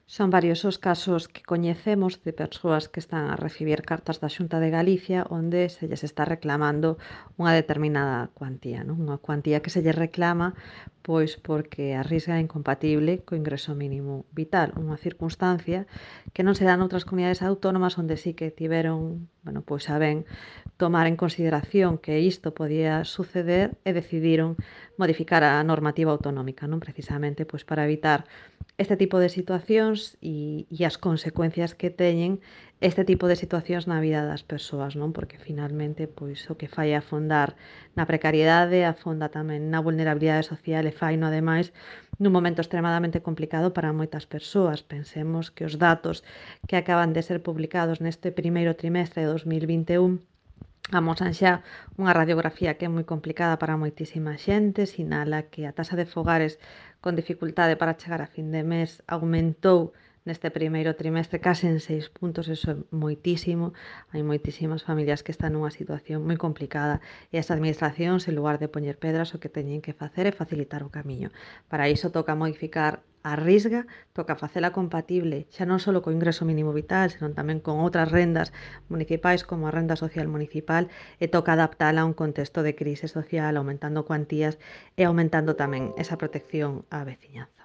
Son varios os casos que coñecemos de persoas que están a recibir cartas da Xunta de Galicia onde se lles está reclamando unha determinada cuantía, non? Unha cuantía que se lles reclama pois porque a risga é incompatible co ingreso mínimo vital, unha circunstancia que non se dá noutras comunidades autónomas onde sí que tiveron, bueno, pois a ben tomar en consideración que isto podía suceder e decidiron modificar a normativa autonómica, non precisamente pois para evitar este tipo de situacións e as consecuencias que teñen este tipo de situacións na vida das persoas, non? Porque finalmente pois o que fai é afondar na precariedade, afonda tamén na vulnerabilidade social e faino ademais nun momento extremadamente complicado para moitas persoas. Pensemos que os datos que acaban de ser publicados neste primeiro trimestre de 2021 amosan xa unha radiografía que é moi complicada para moitísima xente, sinala que a taxa de fogares con dificultade para chegar a fin de mes aumentou neste primeiro trimestre case en 6 puntos, eso é moitísimo, hai moitísimas familias que están nunha situación moi complicada e as administracións, en lugar de poñer pedras, o que teñen que facer é facilitar o camiño. Para iso toca modificar a risga, toca facela compatible xa non só co ingreso mínimo vital, senón tamén con outras rendas municipais como a renda social municipal e toca adaptala a un contexto de crise social, aumentando cuantías e aumentando tamén esa protección á veciñanza.